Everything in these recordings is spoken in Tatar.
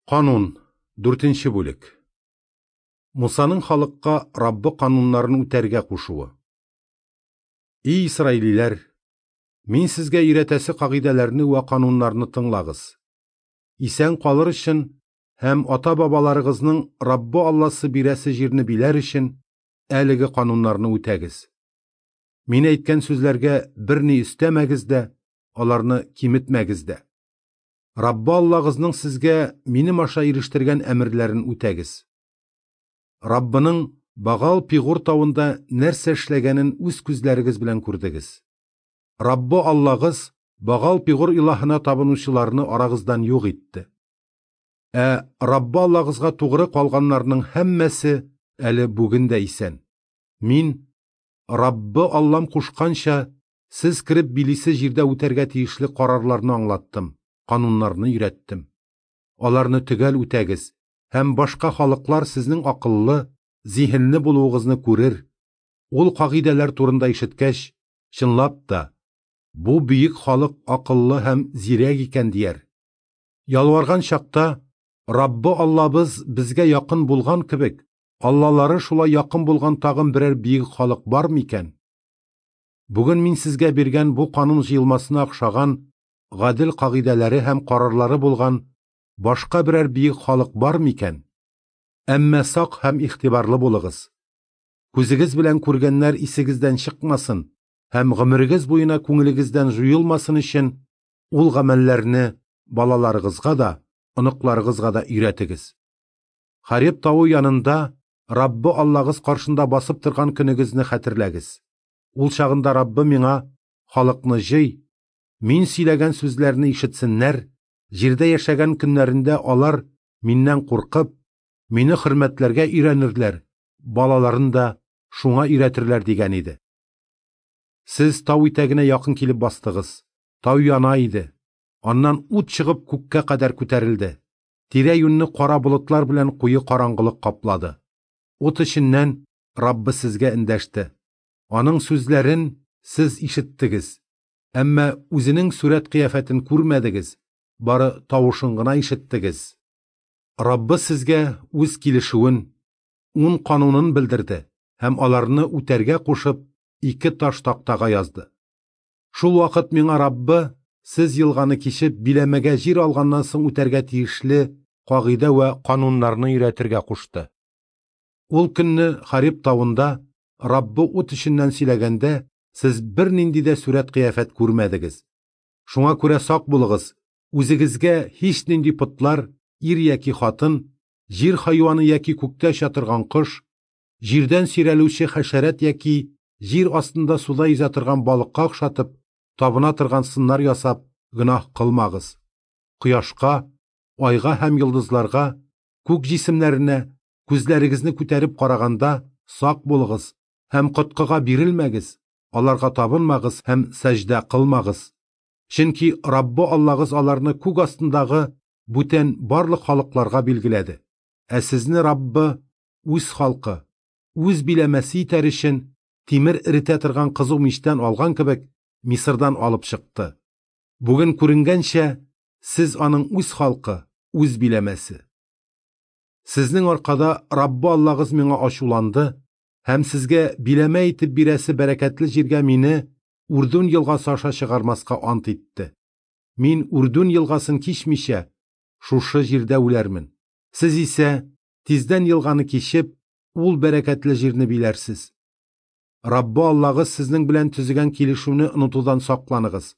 Канун, дүртенче бүлек. Мусаның халыкка Раббы кануннарын үтәргә кушуы. И исраилиләр, мин сезгә өйрәтәсе кагыйдәләрне вә кануннарны тыңлагыз. Исән калыр өчен һәм ата-бабаларыгызның Раббы Алласы бирәсе җирне биләр өчен әлеге кануннарны үтәгез. Мин әйткән сүзләргә берни өстәмәгез дә, аларны киметмәгез дә. Раббы Аллагызның сезгә минем аша ирештергән әмерләрен үтәгез. Раббының Багал Пигур тавында нәрсә эшләгәнен үз күзләрегез белән күрдегез. Раббы Аллагыз Багал Пигур илаһына табынучыларны арагыздан юк итте. Ә Раббы Аллагызга тугры калганнарның һәммәсе әле бүген дә исән. Мин, Раббы Аллам кушканча, сез кереп билисе җирдә үтәргә тиешле карарларны аңлаттым, кануннарны өйрәттем. Аларны төгәл үтәгез, һәм башка халыклар сезнең акыллы, зиһенле булуыгызны күрер. Ул кагыйдәләр турында ишеткәч, чынлап та, бу бөек халык акыллы һәм зирәк икән дияр. Ялварган чакта, Раббы Аллабыз безгә якын булган кебек, Аллалары шулай якын булган тагын берәр бөек халык бар микән? Бүген мин сезгә биргән бу канун җыелмасына охшаган гадел кагыйдәләре һәм карарлары булган башка берәр бөек халык бар микән? Әмма сак һәм игътибарлы булыгыз. Күзегез белән күргәннәр исегездән чыкмасын һәм гомерегез буена күңелегездән җуелмасын өчен ул гамәлләрне балаларыгызга да, оныкларыгызга да өйрәтегез. Хареб тавы янында Раббы Аллагыз каршында басып торган көнегезне хәтерләгез. Ул чагында Раббы миңа халыкны җый, мин сөйләгән сүзләрне ишетсеннәр, җирдә яшәгән көннәрендә алар миннән куркып, мине хөрмәтләргә өйрәнерләр, балаларын да шуңа өйрәтерләр дигән иде. Сез тау итәгенә якын килеп бастыгыз. Тау яна иде. Аннан ут чыгып күккә кадәр күтәрелде. Тирә-юньне кара болытлар белән куе караңгылык каплады. Ут эченнән Раббы сезгә эндәште. Аның сүзләрен сез ишеттегез, әмма үзенең сурәт кыяфәтен күрмәдегез, бары тавышын гына ишеттегез. Раббы сезгә үз килешүен, ун канунын белдерде һәм аларны үтәргә кушып, ике таш тактага язды. Шул вакыт миңа Раббы, сез елганы кичеп, биләмәгә җир алганнан соң үтәргә тиешле кагыйдә вә кануннарны өйрәтергә кушты. Ул көнне Хариб тавында Раббы ут эченнән сөйләгәндә, сез бернинди дә сурәт кыяфәт күрмәдегез. Шуңа күрә сак булыгыз, үзегезгә һичнинди потлар, ир яки хатын, җир хайваны яки күктә оча торган кош, җирдән сөйрәлүче хәшәрәт яки җир астында суда йөзә торган балыкка охшатып, табына торган сыннар ясап, гөнаһ кылмагыз. Кояшка, айга һәм йолдызларга, күк җисемнәренә күзләрегезне күтәреп караганда сак булыгыз һәм коткыга бирелмәгез, аларга табынмагыз һәм сәҗдә кылмагыз. Чөнки Раббы Аллагыз аларны күк астындагы бүтән барлык халыкларга билгеләде. Ә сезне Раббы үз халкы, үз биләмәсе итәр өчен тимер эретә торган кызу мичтән алган кебек Мисырдан алып чыкты. Бүген күренгәнчә, сез аның үз халкы, үз биләмәсе. Сезнең аркада Раббы Аллагыз миңа ачуланды һәм сезгә биләмә итеп бирәсе бәрәкәтле җиргә мине Үрдүн елгасы аша чыгармаска ант итте. Мин Үрдүн елгасын кичмичә, шушы җирдә үләрмен. Сез исә тиздән елганы кичеп, ул бәрәкәтле җирне биләрсез. Раббы Аллагыз сезнең белән төзегән килешүне онытудан сакланыгыз.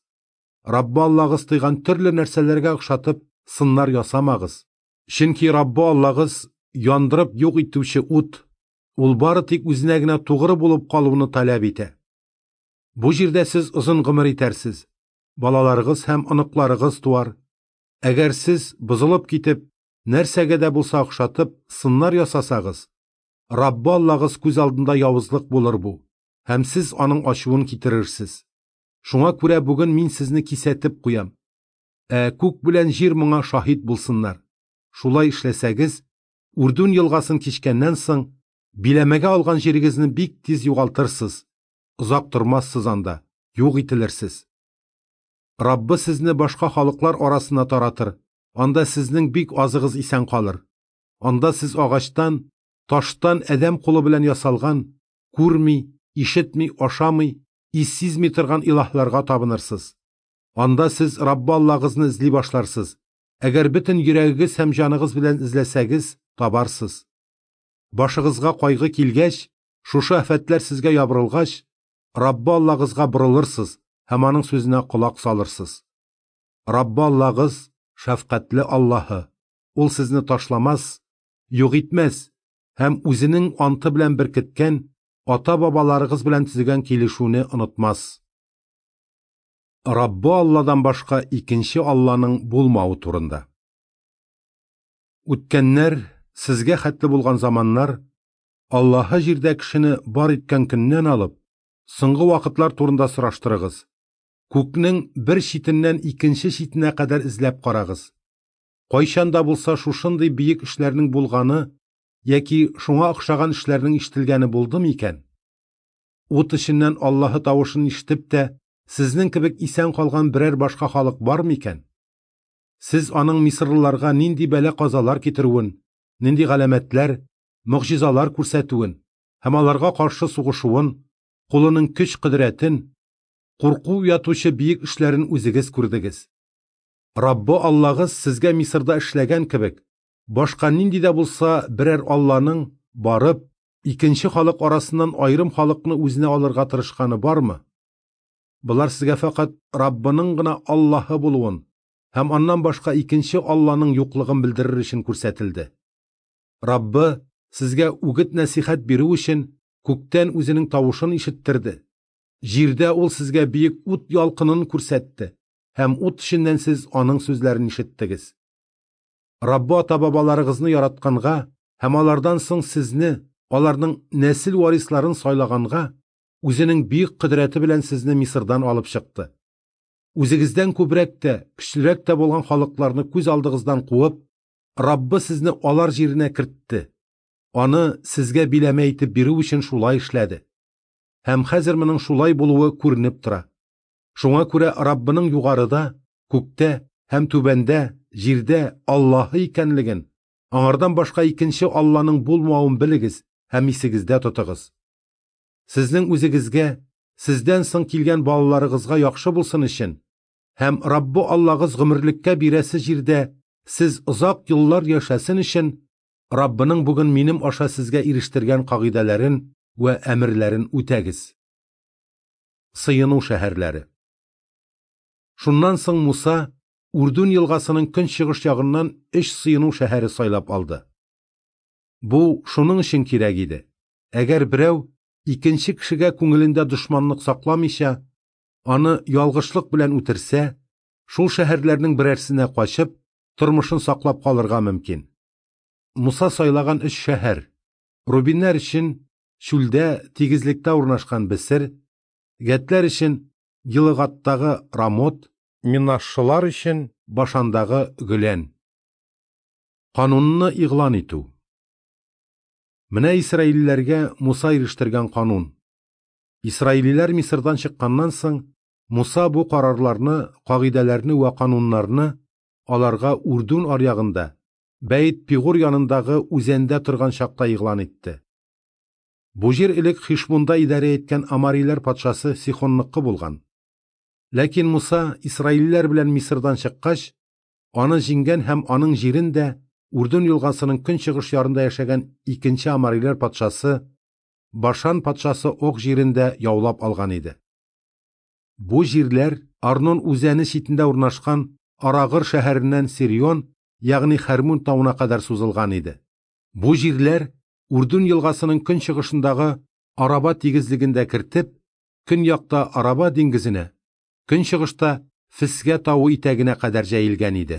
Раббы Аллагыз тыйган төрле нәрсәләргә охшатып сыннар ясамагыз. Чөнки Раббы Аллагыз яндырып юк итүче ут, ул бары тик үзенә генә тугры булып калуны таләп итә. Бу җирдә сез озын гомер итәрсез, балаларыгыз һәм оныкларыгыз туар. Әгәр сез бозылып китеп, нәрсәгә дә булса охшатып, сыннар ясасагыз, Раббы Аллагыз күз алдында явызлык булыр бу, һәм сез аның ачуын китерерсез. Шуңа күрә бүген мин сезне кисәтеп куям. Ә күк белән җир моңа шаһит булсыннар. Шулай эшләсәгез, Үрдүн елгасын кичкәннән соң, биләмәгә алган җирегезне бик тиз югалтырсыз, озак тормассыз анда, юк ителерсез. Раббы сезне башка халыклар арасына таратыр, Анда сезнең бик азыгыз исән калыр. Анда сез агачтан, таштан адәм кулы белән ясалган, күрми, ишетми, ашамый, ис сизми торган илаһларга табынырсыз. Анда сез Раббы Аллагызны эзли башларсыз. Әгәр бөтен йөрәгегез һәм җаныгыз белән эзләсәгез, табарсыз. Башыгызга кайгы килгәч, шушы афәтләр сезгә ябырылгач, Раббы Аллагызга борылырсыз һәм аның сүзенә колак салырсыз. Раббы Аллагыз шәфкатьле Аллаһы, ул сезне ташламас, юк итмәс һәм үзенең анты белән беркеткән ата-бабаларыгыз белән төзегән килешүне онытмас. Раббы Алладан башка икенче Алланың булмавы турында. Үткәннәр, сезгә хәтле булган заманнар, Аллаһы җирдә кешене бар иткән көннән алып, соңгы вакытлар турында сораштырыгыз. Күкнең бер читеннән икенче читенә кадәр эзләп карагыз. Кайчан да булса шушындый бөек эшләрнең булганы яки шуңа охшаган эшләрнең ишетелгәне булды микән? Ут эченнән Аллаһы тавышын ишетеп тә, сезнең кебек исән калган берәр башка халык бар микән? Сез аның мисырлыларга нинди бәла-казалар китерүен, нинди галәмәтләр, могҗизалар күрсәтүен һәм аларга каршы сугышуын, кулының көч-кодрәтен, курку уятучы бөек эшләрен үзегез күрдегез. Раббы Аллагыз сезгә Мисырда эшләгән кебек, башка нинди дә булса берәр Алланың, барып, икенче халык арасыннан аерым халыкны үзенә алырга тырышканы бармы? Болар сезгә фәкать Раббының гына Аллаһы булуын һәм аннан башка икенче Алланың юклыгын белдерер өчен күрсәтелде. Раббы сезгә үгет-нәсихәт бирү өчен күктән үзенең тавышын ишеттерде. Җирдә ул сезгә бөек ут ялкынын күрсәтте һәм ут эченнән сез аның сүзләрен ишеттегез. Раббы ата-бабаларыгызны яратканга һәм алардан соң сезне, аларның нәсел варисларын сайлаганга, үзенең бөек кодрәте белән сезне Мисырдан алып чыкты. Үзегездән күбрәк тә, көчлерәк тә булган халыкларны күз алдыгыздан куып, Раббы сезне алар җиренә кертте. Аны сезгә биләмә итеп бирү өчен шулай эшләде. Һәм хәзер моның шулай булуы күренеп тора. Шуңа күрә Раббының югарыда, күктә һәм түбәндә, җирдә Аллаһы икәнлеген, аңардан башка икенче Алланың булмавын белегез һәм исегездә тотыгыз. Сезнең үзегезгә, сездән соң килгән балаларыгызга яхшы булсын өчен һәм Раббы Аллагыз гомерлеккә бирәсе җирдә сез озак еллар яшәсен өчен, Раббының бүген минем аша сезгә ирештергән кагыйдәләрен вә әмерләрен үтәгез. Сыену шәһәрләре. Шуннан соң Муса Үрдүн елгасының көнчыгыш ягыннан өч сыену шәһәре сайлап алды. Бу шуның өчен кирәк иде. Әгәр берәү икенче кешегә күңелендә дошманлык сакламыйча, аны ялгышлык белән үтерсә, шул шәһәрләрнең берәрсенә качып, тормышын саклап калырга мөмкин. Муса сайлаган өч шәһәр: Рубиннәр өчен чүлдә, тигезлектә урнашкан Бесер, Гәтләр өчен Гилыгаттагы Рамот, Минашшылар өчен Башандагы Гөлән. Канунны игълан итү. Менә исраилиләргә Муса ирештергән канун. Исраилиләр Мисырдан чыкканнан соң, Муса бу карарларны, кагыйдәләрне вә кануннарны аларга Үрдүн аръягында, Бәйт Пигур янындагы үзәндә торган чакта игълан итте. Бу җир элек Хишбунда идарә иткән амариләр патшасы Сихонныкы булган. Ләкин Муса исраилиләр белән Мисырдан чыккач, аны җиңгән һәм аның җирен дә Үрдүн елгасының көнчыгыш ярында яшәгән икенче амариләр патшасы Башан патшасы Ог җирен дә яулап алган иде. Бу җирләр Арнон үзәне читендә урнашкан Арагыр шәһәреннән Сирион, ягъни Хәрмүн тавына кадәр сузылган иде. Бу җирләр Үрдүн елгасының көнчыгышындагы Араба тигезлеген дә кертеп, көньякта Араба диңгезенә, көнчыгышта Фесгә тавы итәгенә кадәр җәелгән иде.